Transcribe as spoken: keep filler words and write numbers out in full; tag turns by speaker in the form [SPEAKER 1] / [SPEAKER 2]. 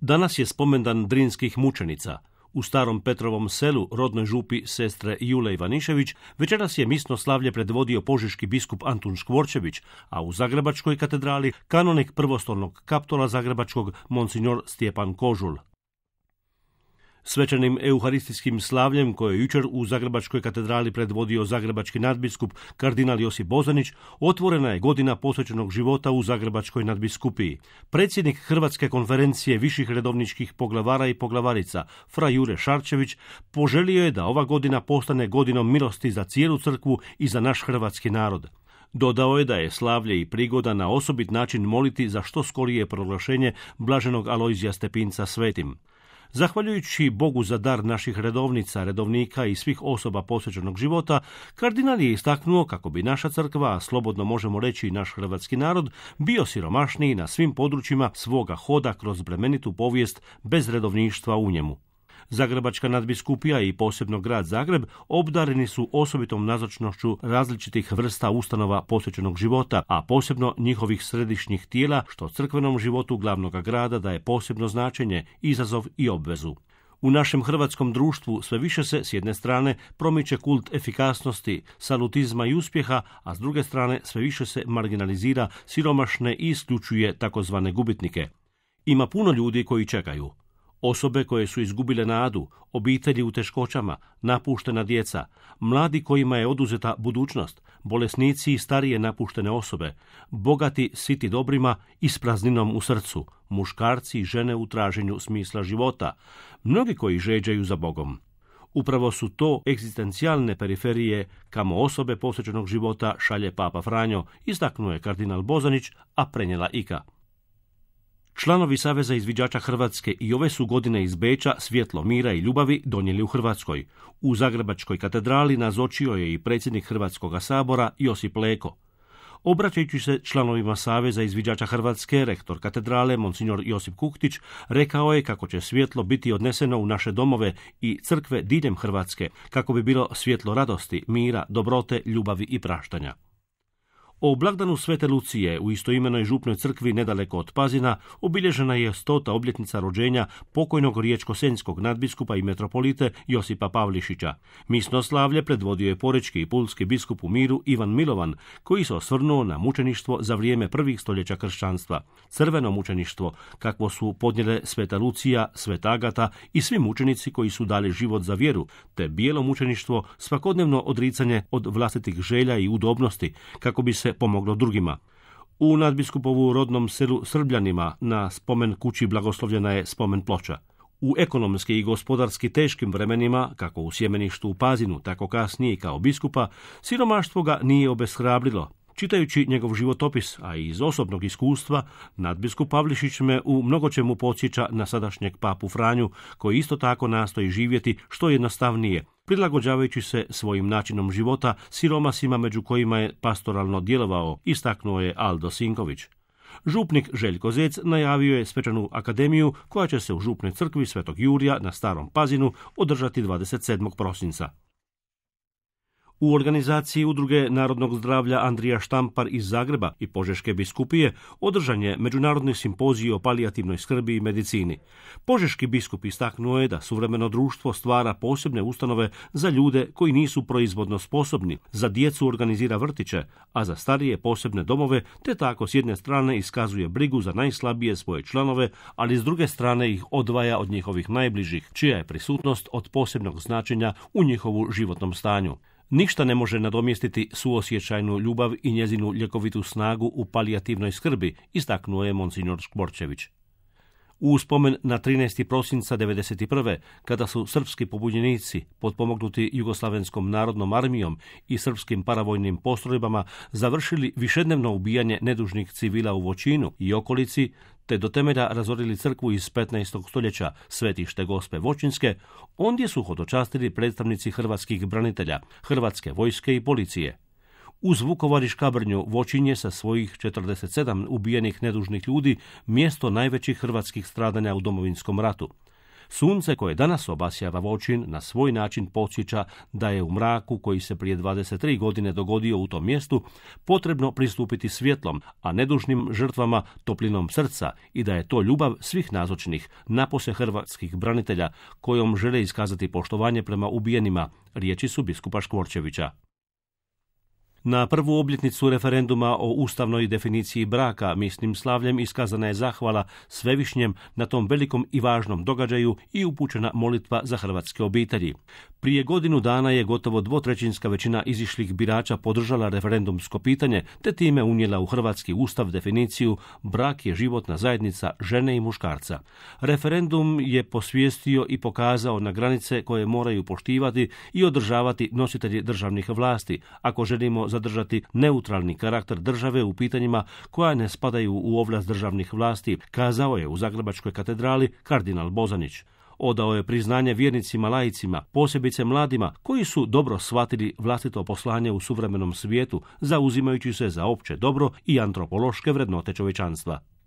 [SPEAKER 1] Danas je spomendan drinskih mučenica. U Starom Petrovom selu, rodnoj župi sestre Jule Ivanišević, večeras je misno slavlje predvodio požeški biskup Antun Škvorčević, a u Zagrebačkoj katedrali kanonik prvostolnog kaptola Zagrebačkog monsignor Stjepan Kožul. Svečanim euharistijskim slavljem koje je jučer u Zagrebačkoj katedrali predvodio zagrebački nadbiskup kardinal Josip Bozanić, otvorena je godina posvećenog života u Zagrebačkoj nadbiskupiji. Predsjednik Hrvatske konferencije viših redovničkih poglavara i poglavarica, fra Jure Šarčević, poželio je da ova godina postane godinom milosti za cijelu crkvu i za naš hrvatski narod. Dodao je da je slavlje i prigoda na osobit način moliti za što skorije proglašenje blaženog Alojzija Stepinca svetim. Zahvaljujući Bogu za dar naših redovnica, redovnika i svih osoba posvećenog života, kardinal je istaknuo kako bi naša crkva, a slobodno možemo reći i naš hrvatski narod, bio siromašniji na svim područjima svoga hoda kroz bremenitu povijest bez redovništva u njemu. Zagrebačka nadbiskupija i posebno grad Zagreb obdareni su osobitom nazočnošću različitih vrsta ustanova posvećenog života, a posebno njihovih središnjih tijela, što crkvenom životu glavnog grada daje posebno značenje, izazov i obvezu. U našem hrvatskom društvu sve više se, s jedne strane, promiče kult efikasnosti, salutizma i uspjeha, a s druge strane sve više se marginalizira siromašne i isključuje takozvane gubitnike. Ima puno ljudi koji čekaju. Osobe koje su izgubile nadu, obitelji u teškoćama, napuštena djeca, mladi kojima je oduzeta budućnost, bolesnici i starije napuštene osobe, bogati siti dobrima i s prazninom u srcu, muškarci i žene u traženju smisla života, mnogi koji žeđaju za Bogom. Upravo su to egzistencijalne periferije kamo osobe posvećenog života šalje Papa Franjo, istaknuo je kardinal Bozanić, a prenijela Ika. Članovi Saveza izviđača Hrvatske i ove su godine iz Beča svjetlo mira i ljubavi donijeli u Hrvatskoj. U Zagrebačkoj katedrali nazočio je i predsjednik Hrvatskoga sabora Josip Leko. Obraćajući se članovima Saveza izviđača Hrvatske, rektor katedrale monsignor Josip Kuktić rekao je kako će svjetlo biti odneseno u naše domove i crkve diljem Hrvatske, kako bi bilo svjetlo radosti, mira, dobrote, ljubavi i praštanja. O blagdanu Svete Lucije u istoimenoj župnoj crkvi nedaleko od Pazina obilježena je stota obljetnica rođenja pokojnog riječko-senjskog nadbiskupa i metropolite Josipa Pavlišića. Misno slavlje predvodio je porečki i pulski biskup u miru Ivan Milovan, koji se osvrnuo na mučeništvo za vrijeme prvih stoljeća kršćanstva. Crveno mučeništvo, kakvo su podnijele Sveta Lucija, Sveta Agata i svi mučenici koji su dali život za vjeru, te bijelo mučeništvo, svakodnevno odricanje od vlastitih želja i udobnosti, kako bi se pomoglo drugima. U nadbiskupovu rodnom selu Srbljanima na spomen kući blagoslovljena je spomen ploča. U ekonomski i gospodarski teškim vremenima, kako u sjemeništu u Pazinu, tako kasnije i kao biskupa, siromaštvo ga nije obeshrabrilo. Čitajući njegov životopis, a i iz osobnog iskustva, nadbiskup Pavlišić me u mnogočemu podsjeća na sadašnjeg papu Franju, koji isto tako nastoji živjeti što jednostavnije, prilagođavajući se svojim načinom života siromasima među kojima je pastoralno djelovao, istaknuo je Aldo Sinković. Župnik Željko Zec najavio je svečanu akademiju koja će se u župnoj crkvi Svetog Jurija na Starom Pazinu održati dvadeset sedmog prosinca. U organizaciji Udruge narodnog zdravlja Andrija Štampar iz Zagreba i Požeške biskupije održan je međunarodni simpozij o palijativnoj skrbi i medicini. Požeški biskup istaknuo je da suvremeno društvo stvara posebne ustanove za ljude koji nisu proizvodno sposobni, za djecu organizira vrtiće, a za starije posebne domove, te tako s jedne strane iskazuje brigu za najslabije svoje članove, ali s druge strane ih odvaja od njihovih najbližih, čija je prisutnost od posebnog značenja u njihovu životnom stanju. Ništa ne može nadomjestiti suosjećajnu ljubav i njezinu ljekovitu snagu u palijativnoj skrbi, istaknuo je monsignor Škvorčević. U spomen na trinaesti prosinca devedeset prve. kada su srpski pobunjenici, potpomognuti Jugoslavenskom narodnom armijom i srpskim paravojnim postrojbama, završili višednevno ubijanje nedužnih civila u Voćinu i okolici, te do temelja razorili crkvu iz petnaestog stoljeća, Svetište Gospe Voćinske, ondje su hodočastili predstavnici hrvatskih branitelja, Hrvatske vojske i policije. Uz Vukovar i Škabrnju Voćin je sa svojih četrdeset sedam ubijenih nedužnih ljudi mjesto najvećih hrvatskih stradanja u Domovinskom ratu. Sunce koje danas obasjava Voćin na svoj način podsjeća da je u mraku koji se prije dvadeset tri godine dogodio u tom mjestu potrebno pristupiti svjetlom, a nedužnim žrtvama toplinom srca i da je to ljubav svih nazočnih, napose hrvatskih branitelja kojom žele iskazati poštovanje prema ubijenima, riječi su biskupa Škvorčevića. Na prvu obljetnicu referenduma o ustavnoj definiciji braka misnim slavljem iskazana je zahvala Svevišnjem na tom velikom i važnom događaju i upućena molitva za hrvatske obitelji. Prije godinu dana je gotovo dvotrećinska većina izišlih birača podržala referendumsko pitanje, te time unijela u hrvatski ustav definiciju brak je životna zajednica žene i muškarca. Referendum je posvijestio i pokazao na granice koje moraju poštivati i održavati nositelji državnih vlasti, ako želimo zadržati neutralni karakter države u pitanjima koja ne spadaju u ovlast državnih vlasti, kazao je u Zagrebačkoj katedrali kardinal Bozanić. Odao je priznanje vjernicima laicima, posebice mladima, koji su dobro shvatili vlastito poslanje u suvremenom svijetu, zauzimajući se za opće dobro i antropološke vrednote čovječanstva.